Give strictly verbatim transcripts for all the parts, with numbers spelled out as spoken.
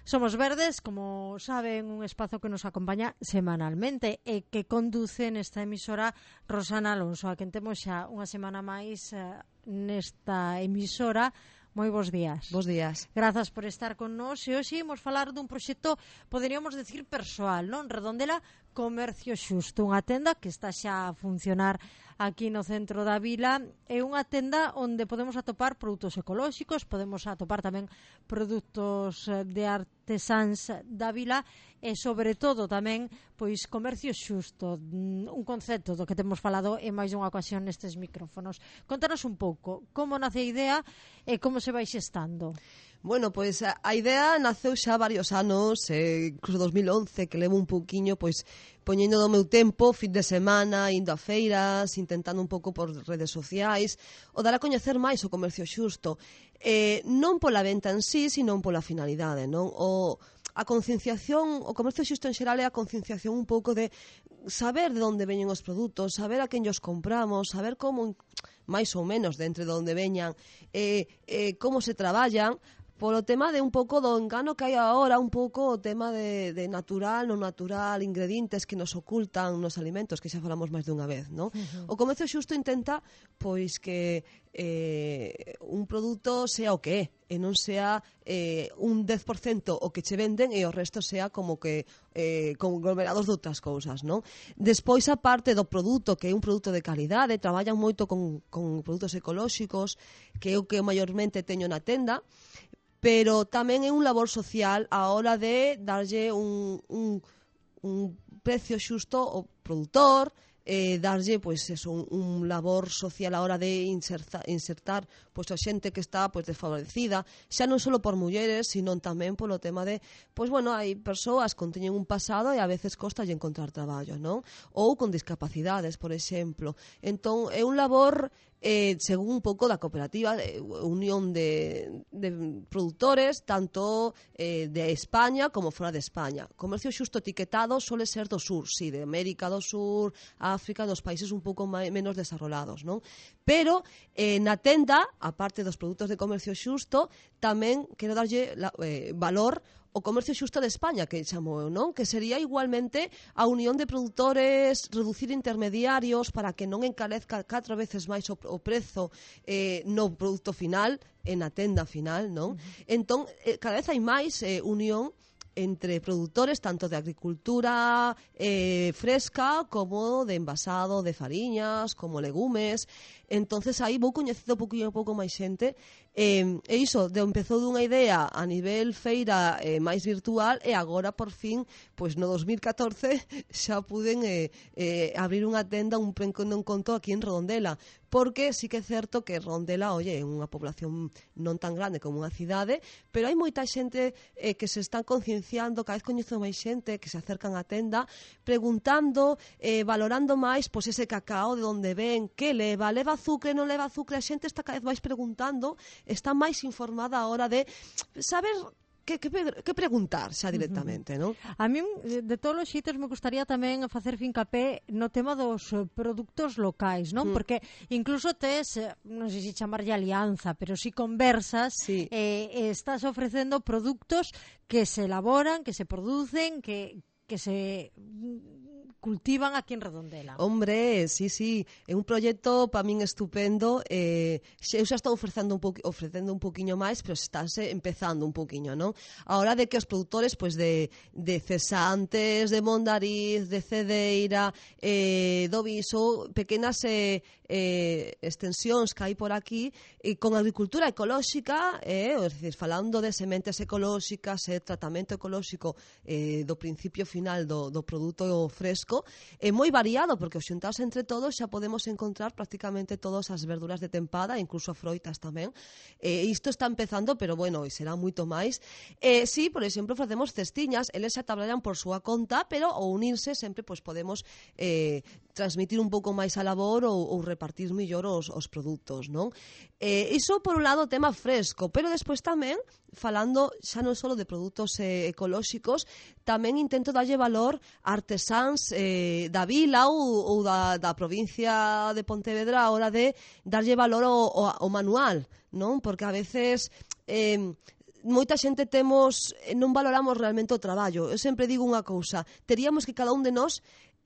Somos Verdes, como saben, un espazo que nos acompaña semanalmente e que conduce nesta emisora Rosana Alonso, a quen temos xa unha semana máis uh, nesta emisora. Moi bons días. Bos días. Grazas por estar con nós e hoxe imos falar dun proxecto, poderíamos decir, persoal, non? Redondela Comercio Xusto, unha tenda que está xa a funcionar aquí no centro da vila. É unha tenda onde podemos atopar produtos ecolóxicos, podemos atopar tamén produtos de artesáns da vila e, sobre todo, tamén pois comercio xusto, un concepto do que temos falado en máis dunha ocasión nestes micrófonos. Contanos un pouco como nace a idea e como se vai xestando. Bueno, pois a, a idea naceu xa varios anos, eh, incluso dos mil once, que levo un pouquiño pois poñendo do meu tempo, fin de semana, indo a feiras, intentando un pouco por redes sociais, o dar a coñecer máis o comercio xusto. Eh, non pola venta en sí, sino pola finalidade, non? O a concienciación, o comercio xusto en xeral é a concienciación un pouco de saber de onde veñen os produtos, saber a quen os compramos, saber como, máis ou menos, de entre de onde veñan, eh, eh, como se traballan, polo tema de un pouco do engano que hai agora, un pouco o tema de, de natural, non natural, ingredientes que nos ocultan nos alimentos, que xa falamos máis dunha vez, non? Uh-huh. O comercio xusto intenta pois que eh, un produto sea o que é, e non sea eh, un dez por cento o que che venden e o resto sea como que eh, conglomerados de outras cousas, non? Despois, a parte do produto, que é un produto de calidade, traballan moito con, con produtos ecolóxicos, que é o que maiormente teño na tenda, pero tamén é un labor social a hora de darlle un, un, un precio xusto ao produtor, eh, darlle pois eso, un, un labor social a hora de insertar, insertar pois a xente que está pois desfavorecida, xa non só por mulleres, sino tamén polo tema de, pois bueno, hai persoas que teñen un pasado e a veces costa lle encontrar traballo, non? Ou con discapacidades, por exemplo. Entón, é un labor Eh, según un pouco da cooperativa, eh, unión de, de produtores, tanto eh, de España como fora de España. Comercio xusto etiquetado suele ser do sur, sí, de América do Sur, África, dos países un pouco máis, menos desarrollados, non? Pero eh, na tenda, a parte dos produtos de comercio xusto, tamén quero darlle la, eh, valor o comercio xusto de España, que chamo eu, non? Que sería igualmente a unión de produtores, reducir intermediarios para que non encarezca catro veces máis o, o prezo eh, no produto final, en a tenda final, non? Uh-huh. Entón, eh, cada vez hai máis eh, unión entre produtores, tanto de agricultura eh, fresca como de envasado de fariñas, como legumes. Entonces aí vou coñecendo un pouquinho, un pouco máis xente, eh, e iso, de empezou dunha idea a nivel feira eh, máis virtual, e agora por fin, pois no dos mil catorce xa puden eh, eh, abrir unha tenda, un pequeno encontro aquí en Redondela, porque sí que é certo que Redondela, oye, é unha población non tan grande como unha cidade, pero hai moita xente eh, que se están concienciando, cada vez coñezo máis xente que se acercan á tenda, preguntando, eh, valorando máis pois ese cacao, de onde ven, que leva, leva azúcar, non leva azúcar, a xente está cada vez máis preguntando, está máis informada a hora de saber que, que, que preguntar xa directamente, non? A mí, de todos os xeitos, me gustaría tamén facer fincapé no tema dos produtos locais, non? Mm. Porque incluso tes, non sei se chamarlle alianza, pero si conversas, sí. eh, estás ofrecendo produtos que se elaboran, que se producen, que, que se cultivan aquí en Redondela. Hombre, sí, sí, é un proxecto para min estupendo. Eh, eu xa estou ofrecendo un poqui, ofrecendo un poquinho máis, pero estáse empezando un poquinho, non? A hora de que os produtores pois de, de cesantes, de Mondariz, de Cedeira, eh, do Viso, pequenas eh, eh, extensións que hai por aquí, e con agricultura ecolóxica, eh, é dicir, falando de sementes ecolóxicas, e eh, tratamento ecolóxico eh, do principio final do, do produto fresco, é moi variado, porque os xuntados entre todos xa podemos encontrar prácticamente todas as verduras de tempada, incluso froitas tamén. Eh, isto está empezando, pero bueno, e será moito máis. Eh, sí, por exemplo, facemos cestiñas, eles xa traballan por súa conta, pero ao unirse sempre pois podemos eh, transmitir un pouco máis a labor ou, ou repartir mellor os, os produtos, non? Eh, iso por un lado tema fresco, pero despois tamén, falando xa non só de produtos eh, ecolóxicos, tamén intento darlle valor a artesáns eh, da vila ou, ou da, da provincia de Pontevedra a hora de darlle valor ao, ao, ao manual, non? Porque a veces eh, moita xente temos, non valoramos realmente o traballo. Eu sempre digo unha cousa, teríamos que cada un de nós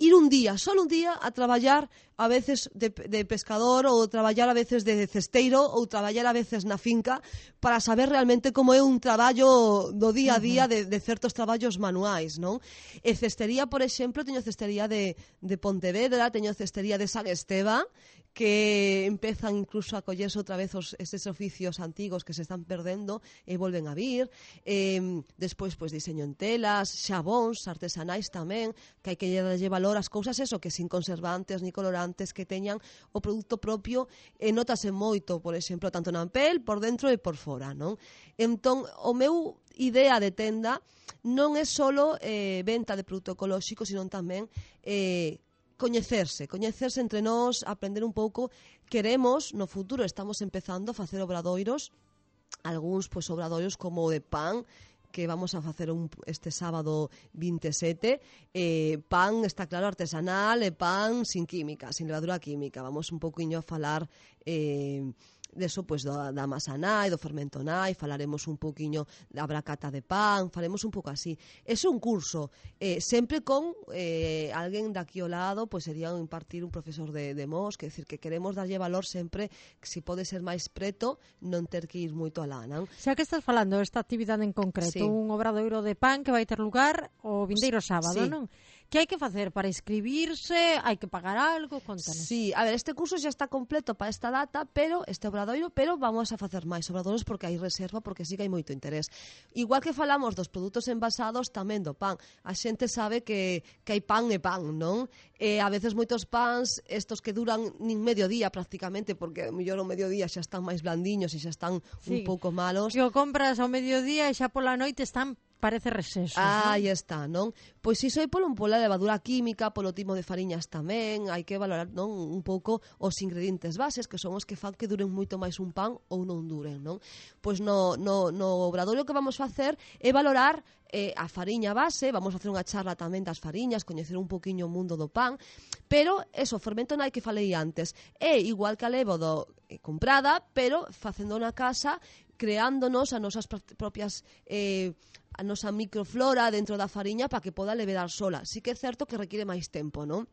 ir un día, solo un día, a traballar a veces de, de pescador ou traballar a veces de cesteiro ou traballar a veces na finca para saber realmente como é un traballo do día a día de, de certos traballos manuais, non? E cestería, por exemplo, teño cestería de, de Pontevedra, teño cestería de San Esteva, que empezan incluso a collerse outra vez os, eses oficios antigos que se están perdendo e volven a vir. Eh, despois, pois, diseño en telas, xabóns artesanais tamén, que hai que darlle valor ás cousas, eso, que sin conservantes ni colorantes, que teñan o produto propio, e notase moito, por exemplo, tanto na pel, por dentro e por fora, non? Entón, o meu idea de tenda non é solo eh, venta de produto ecolóxico, sino tamén eh, coñecerse, coñecerse entre nós, aprender un pouco. Queremos, no futuro, estamos empezando a facer obradoiros, algúns pois obradoiros como o de pan, que vamos a facer un, este sábado vinte e sete, eh, pan, está claro, artesanal, e pan sin química, sin levadura química. Vamos un pouquiño a falar eh, deso, pois, da, da masa nai, do fermento nai, falaremos un pouquiño da bracata de pan, faremos un pouco así. É un curso, eh, sempre con eh, alguén daqui ao lado, pois sería impartir un profesor de, de Mos, que decir que queremos darlle valor sempre, que se pode ser máis preto, non ter que ir moito alá, non? Xa que estás falando esta actividade en concreto, Sí. un obradoiro de pan que vai ter lugar o vindeiro sábado, Sí. non? Que hai que facer para inscribirse? Hai que pagar algo? Contanos. Sí, a ver, este curso xa está completo para esta data, pero este obradoiro, pero vamos a facer máis obradoiros porque hai reserva, porque sí que hai moito interés. Igual que falamos dos produtos envasados, tamén do pan. A xente sabe que, que hai pan e pan, non? E a veces moitos pans, estos que duran nin medio día prácticamente, porque mellor o mediodía xa están máis blandiños e xa están Sí. un pouco malos. Que o compras ao mediodía e xa pola noite están, parece, resesos, Ah, aí non? está, non? Pois iso é polo, pola levadura química, polo tipo de fariñas tamén, hai que valorar, non, un pouco os ingredientes bases, que son os que fan que duren moito máis un pan ou non duren, non? Pois no, no, no obradoiro que vamos facer é valorar eh, a fariña base, vamos a facer unha charla tamén das fariñas, coñecer un poquinho o mundo do pan, pero eso, o fermento nai que falei antes, é igual que a levo do, eh, comprada, pero facendo na casa, creándonos as nosas propias eh, a nosa microflora dentro da fariña para que poda levedar sola. Sí que é certo que requiere máis tempo, non?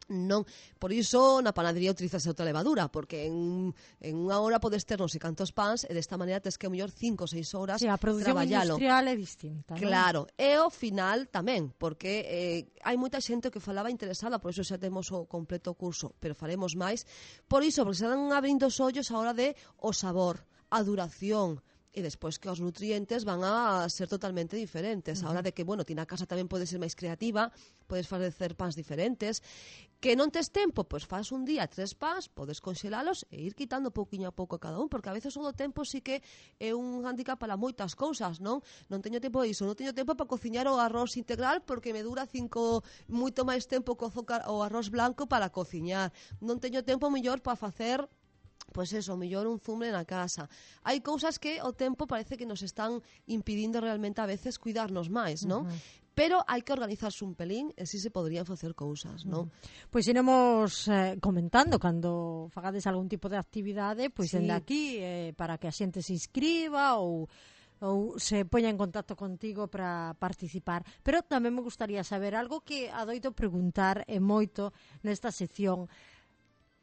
Non, por iso na panadería utilizase outra levadura, porque en, en unha hora podes ter non sei cantos pans e desta maneira tes que a mellor cinco ou seis horas Sí, a produción traballalo. industrial é distinta, non? Claro, e ao final tamén, porque eh, hai moita xente que falaba interesada, por iso xa temos o completo curso, pero faremos máis, por iso, porque se dan abrindo os ollos a hora de o sabor, a duración, e despois que os nutrientes van a ser totalmente diferentes. A hora de que, bueno, ti na casa tamén podes ser máis creativa, podes facer pans diferentes. Que non tes tempo, pois faz un día tres pans, podes conxelalos e ir quitando pouquiño a pouco a cada un, porque a veces o do tempo sí que é un handicap para moitas cousas, non? Non teño tempo de iso, non teño tempo para cociñar o arroz integral porque me dura cinco, moito máis tempo cozo o arroz blanco para cociñar. Non teño tempo mellor para facer pois eso, mellor un zumbre na casa. Hai cousas que o tempo parece que nos están impidindo realmente a veces cuidarnos máis, non? Uh-huh. Pero hai que organizarse un pelín e si se poderían facer cousas, non? Uh-huh. Pois iremos eh, comentando cando fagades algún tipo de actividade, pois sí. dende aquí eh, para que a xente se inscriba ou ou se poña en contacto contigo para participar. Pero tamén me gustaría saber algo que adoito preguntar e moito nesta sección.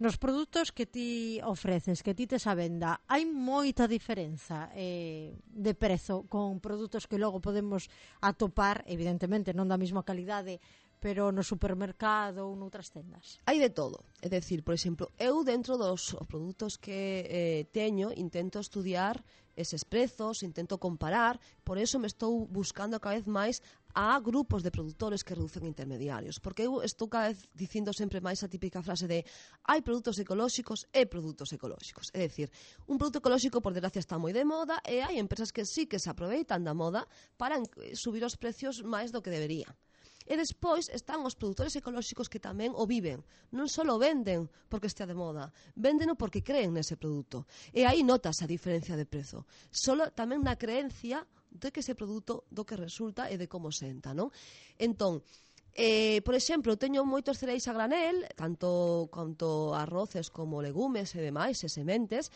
Nos produtos que ti ofreces, que ti tes a venda, hai moita diferenza eh, de prezo con produtos que logo podemos atopar, evidentemente non da mesma calidade, pero no supermercado ou noutras tendas? Hai de todo. É dicir, por exemplo, eu dentro dos produtos que eh, teño intento estudiar eses prezos, intento comparar, por eso me estou buscando cada vez máis a grupos de produtores que reducen intermediarios, porque eu estou cada vez dicindo sempre máis a típica frase de hai produtos ecolóxicos e produtos ecolóxicos, é dicir, un produto ecolóxico por desgracia está moi de moda e hai empresas que sí que se aproveitan da moda para subir os precios máis do que debería. E despois están os produtores ecolóxicos que tamén o viven. Non só o venden porque estea de moda, véndeno porque creen nese produto. E aí notas a diferencia de prezo. Solo tamén na creencia de que ese produto do que resulta e de como senta, non? Entón, eh, por exemplo, teño moitos cereais a granel, tanto quanto arroces como legumes e demais, e sementes,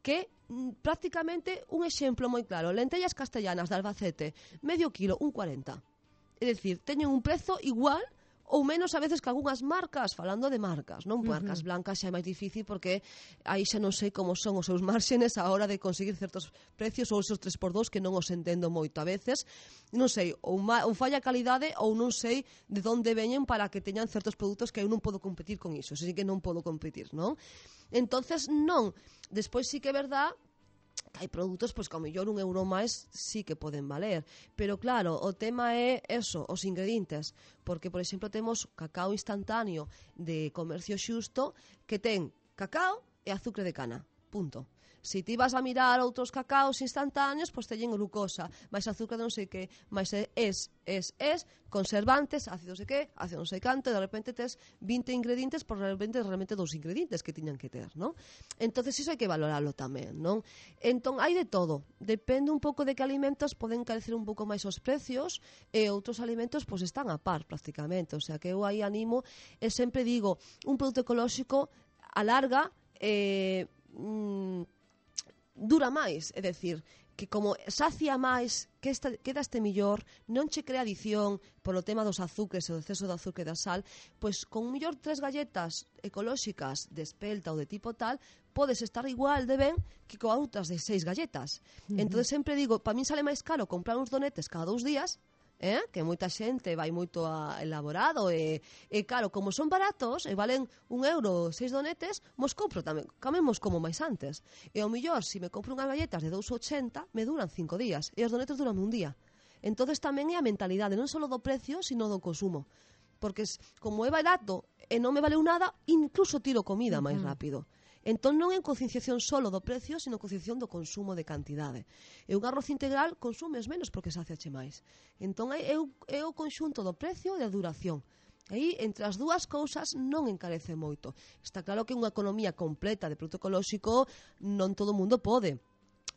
que mm, prácticamente un exemplo moi claro, lentellas castellanas de Albacete, medio kilo, un cuarenta. É dicir, teñen un prezo igual ou menos a veces que algunhas marcas, falando de marcas, non? Marcas uh-huh. blancas xa é máis difícil porque aí xa non sei como son os seus márxenes a hora de conseguir certos precios ou esos tres por dous que non os entendo moito a veces. Non sei, ou, ma, ou falla calidade ou non sei de onde veñen para que teñan certos produtos que eu non podo competir con iso, así que non podo competir, non? Entonces, non. Despois sí que é verdad que hai produtos pois, que ao mellor un euro máis sí que poden valer, pero claro, o tema é eso, os ingredientes, porque por exemplo temos cacao instantáneo de comercio xusto que ten cacao e azúcar de cana, punto. Se ti vas a mirar outros cacaos instantáneos, pois teñen glucosa, máis azúcar de non sei que, máis es, es, es, conservantes, ácido sei que, ácido non sei canto, e de repente tes vinte ingredientes, por de repente realmente dos ingredientes que tiñan que ter, non? Entonces iso hai que valorarlo tamén, non? Entón, hai de todo. Depende un pouco de que alimentos poden encarecer un pouco máis os precios e outros alimentos pois están a par prácticamente, o sea que eu aí animo e sempre digo, un produto ecolóxico a larga eh, mm, dura máis, é dicir, que como sacia máis, que esta, quedaste millor, non che crea adición polo tema dos azúcares e o exceso de azúcar e da sal, pois con millor tres galletas ecolóxicas de espelta ou de tipo tal, podes estar igual de ben que con outras de seis galletas. Uh-huh. Entón sempre digo, para min sale máis caro comprar uns donetes cada dous días, eh? Que moita xente vai moito a elaborado e, e claro, como son baratos e valen un euro seis donetes, mos compro tamén, camemos como máis antes e ao millor, se me compro unhas galletas de dous ochenta me duran cinco días e os donetes duran un día. Entonces tamén é a mentalidade non só do precio, sino do consumo, porque como é barato e non me valeu nada, incluso tiro comida máis rápido. Entón non é concienciación solo do precio, sino concienciación do consumo de cantidade. E un arroz integral consumes menos porque saciache máis. Entón é, é o conxunto do precio e da duración. Aí, entre as dúas cousas, non encarece moito. Está claro que unha economía completa de produto ecolóxico non todo o mundo pode.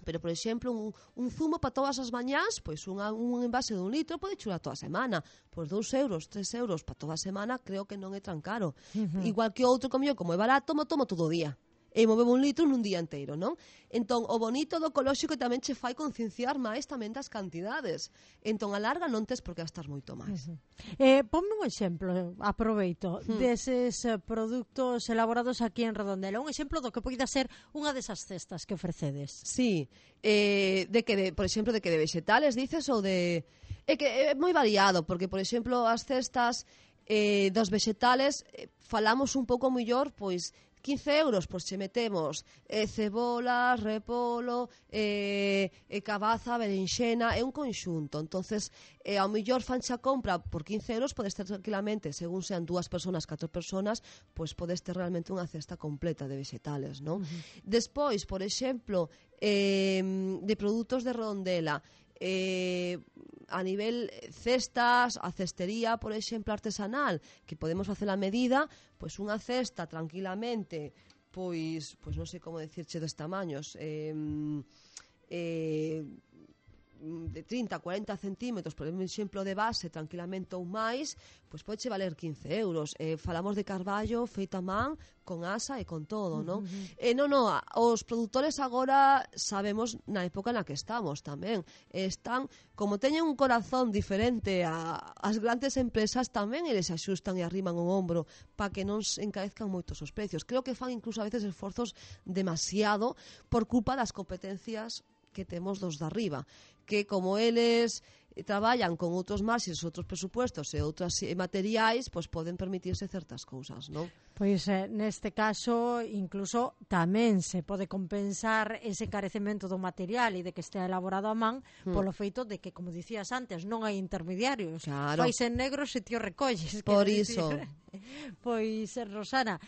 Pero, por exemplo, un, un zumo para todas as mañás, pois unha, un envase de un litro pode churar toda a semana. Pois dous euros, tres euros para toda a semana, creo que non é tan caro. Uh-huh. Igual que outro comió, como é barato, mo tomo todo o día. E movemos un litro nun día inteiro, non? Entón, o bonito do ecolóxico tamén che fai concienciar máis tamén das cantidades. Entón, a larga non tes por que gastar moito máis. Uh-huh. eh, Ponme un exemplo, aproveito, uh-huh. deses uh, produtos elaborados aquí en Redondela. Un exemplo do que poida ser unha desas cestas que ofrecedes. Sí, eh, de que, de, por exemplo, de que de vegetales, dices, ou de... É que é moi variado, porque, por exemplo, as cestas eh, dos vegetales eh, falamos un pouco mellor, pois... quince euros, pois che metemos eh, cebola, repolo, eh, eh, cabaza, berenxena, é un conxunto. Entonces, eh, ao mellor fancha compra por quince euros, podes ter tranquilamente, según sean dúas personas, catro personas, pois podes ter realmente unha cesta completa de vegetales, non? Uh-huh. Despois, por exemplo, eh, de produtos de Redondela, eh, a nivel cestas, a cestería, por exemplo, artesanal, que podemos facer a medida, pois unha cesta tranquilamente, pois, pois non sei como decirche dos tamaños, eh, eh, de trinta a cuarenta centímetros, por exemplo, de base, tranquilamente ou máis, pois pode valer quince euros. Eh, falamos de carballo feito a man, con asa e con todo, non? Uh-huh. Eh, non, non, os produtores agora sabemos na época na que estamos tamén. Están, como teñen un corazón diferente a, as grandes empresas, tamén eles axustan e arriman o ombro para que non se encarezcan moitos os precios. Creo que fan incluso a veces esforzos demasiado por culpa das competencias que temos dos de arriba, que como eles traballan con outros marxes, outros presupuestos e outros materiais, pois poden permitirse certas cousas, non? Pois eh, neste caso incluso tamén se pode compensar ese encarecemento do material e de que estea elaborado a man mm. polo feito de que, como dicías antes, non hai intermediarios. Claro. Fais en negro se ti o recolles. Por iso. Pois, Rosana,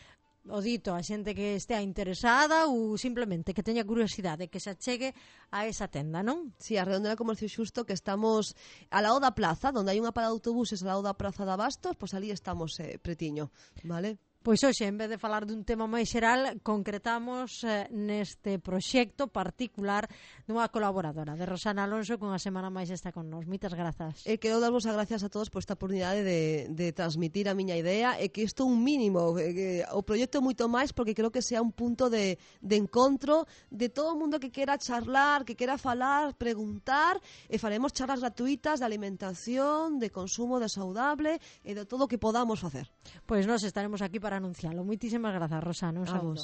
o dito, a xente que estea interesada ou simplemente que teña curiosidade que se achegue a esa tenda, non? Si, sí, a Redondela Comercio Xusto, que estamos a lado da plaza, onde hai unha parada de autobuses a lado da praza de Abastos, pois ali estamos eh, pretiño, vale? Pois hoxe, en vez de falar dun tema máis xeral, concretamos eh, neste proxecto particular dunha colaboradora de Rosana Alonso, que unha semana máis está con nós. Moitas grazas. E quero darvos as gracias a todos por esta oportunidade de, de transmitir a miña idea e que isto un mínimo, que o proxecto moito máis porque creo que sea un punto de, de encontro de todo o mundo que quera charlar, que quera falar, preguntar, e faremos charlas gratuitas de alimentación, de consumo de saudable e de todo o que podamos facer. Pois nós estaremos aquí para anuncialo. Moitísimas grazas, Rosana. Un saúdo.